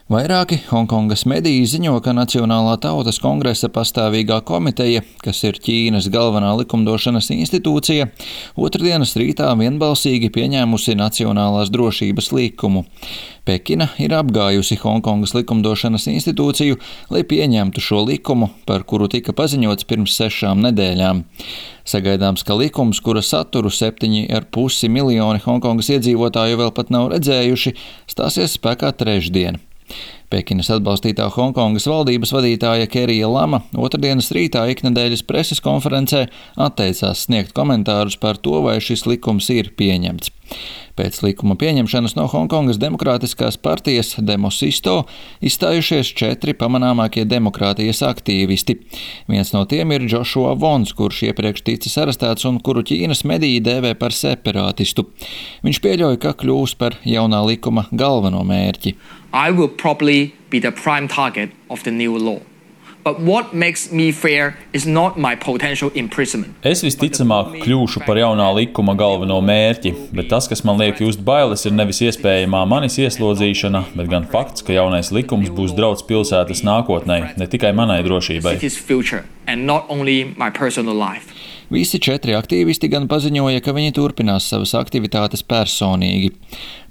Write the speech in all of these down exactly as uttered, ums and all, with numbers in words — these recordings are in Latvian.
Vairāki Honkongas mediji ziņo, ka Nacionālā tautas kongresa pastāvīgā komiteja, kas ir Ķīnas galvenā likumdošanas institūcija, otrdienas rītā vienbalsīgi pieņēmusi Nacionālās drošības likumu. Pekina ir apgājusi Honkongas likumdošanas institūciju, lai pieņemtu šo likumu, par kuru tika paziņots pirms sešām nedēļām. Sagaidāms, ka likums, kura saturu septiņi ar pusi miljoni Honkongas iedzīvotāju vēl pat nav redzējuši, stāsies spēkā trešdien. Pekinas atbalstītā Honkongas valdības vadītāja Kerija Lama otrdienas rītā iknedēļas preses konferencē atteicās sniegt komentārus par to, vai šis likums ir pieņemts. Pēc likuma pieņemšanas no Honkongas demokrātiskās partijas Demosisto izstājušies četri pamanāmākie demokrātijas aktīvisti. Viens no tiem ir Joshua Vons, kurš iepriekš ticis arestēts un kuru Ķīnas mediji dēvē par separātistu. Viņš pieļauj, ka kļūs par jaunā likuma galveno mērķi. I will probably be the prime target of the new law. But what makes me fear is not my potential imprisonment. Es visticamāk kļūšu par jaunā likuma galveno mērķi, bet tas, kas man liek just bailes, ir nevis iespējamā manis ieslodzīšana, bet gan fakts, ka jaunais likums būs draudz pilsētas nākotnē, ne tikai manai drošībai. Visi četri aktīvisti gan paziņoja, ka viņi turpinās savas aktivitātes personīgi.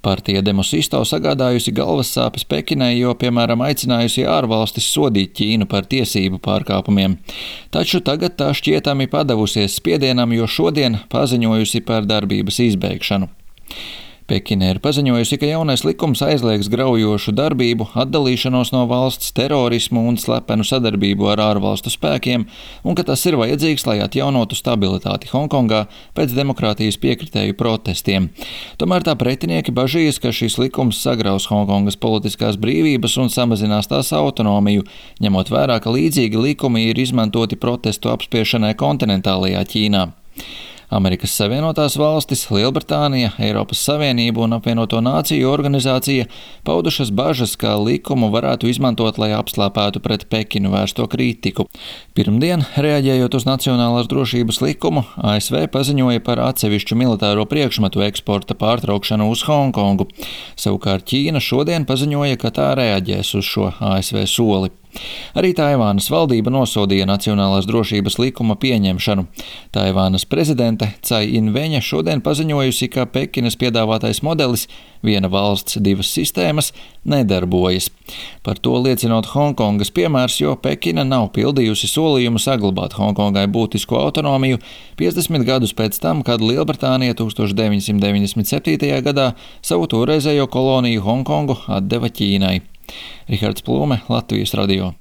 Partija Demosisto sagādājusi galvas sāpes Pekinai, jo, piemēram, aicinājusi ārvalstis sodīt Ķīnu par tiesību pārkāpumiem. Taču tagad tā šķietami padavusies spiedienam, jo šodien paziņojusi par darbības izbeigšanu. Pekina ir paziņojusi, ka jaunais likums aizliegs graujošu darbību, atdalīšanos no valsts, terorismu un slepenu sadarbību ar ārvalstu spēkiem, un ka tas ir vajadzīgs, lai atjaunotu stabilitāti Honkongā pēc demokrātijas piekritēju protestiem. Tomēr tā pretinieki bažīs, ka šis likums sagraus Honkongas politiskās brīvības un samazinās tās autonomiju, ņemot vērā, ka līdzīgi likumi ir izmantoti protestu apspiešanai kontinentālajā Ķīnā. Amerikas Savienotās valstis, Lielbritānija, Eiropas Savienība un apvienoto nāciju organizācija paudušas bažas, ka likumu varētu izmantot, lai apslāpētu pret Pekinu vērsto kritiku. Pirmdien, reaģējot uz Nacionālās drošības likumu, A S V paziņoja par atsevišķu militāro priekšmetu eksporta pārtraukšanu uz Honkongu. Savukārt Ķīna šodien paziņoja, ka tā reaģēs uz šo A S V soli. Arī Taivānas valdība nosodīja Nacionālās drošības likuma pieņemšanu. Taivānas prezidente Cai Inveņa šodien paziņojusi, ka Pekinas piedāvātais modelis viena valsts, divas sistēmas nedarbojas. Par to liecinot Honkongas piemērs, jo Pekina nav pildījusi solījumu saglabāt Honkongai būtisku autonomiju piecdesmit gadus pēc tam, kad Lielbritānija tūkstoš deviņi simti deviņdesmit septītajā gadā savu toreizējo koloniju Honkongu atdeva Ķīnai. Rihards Plūme, Latvijas radio.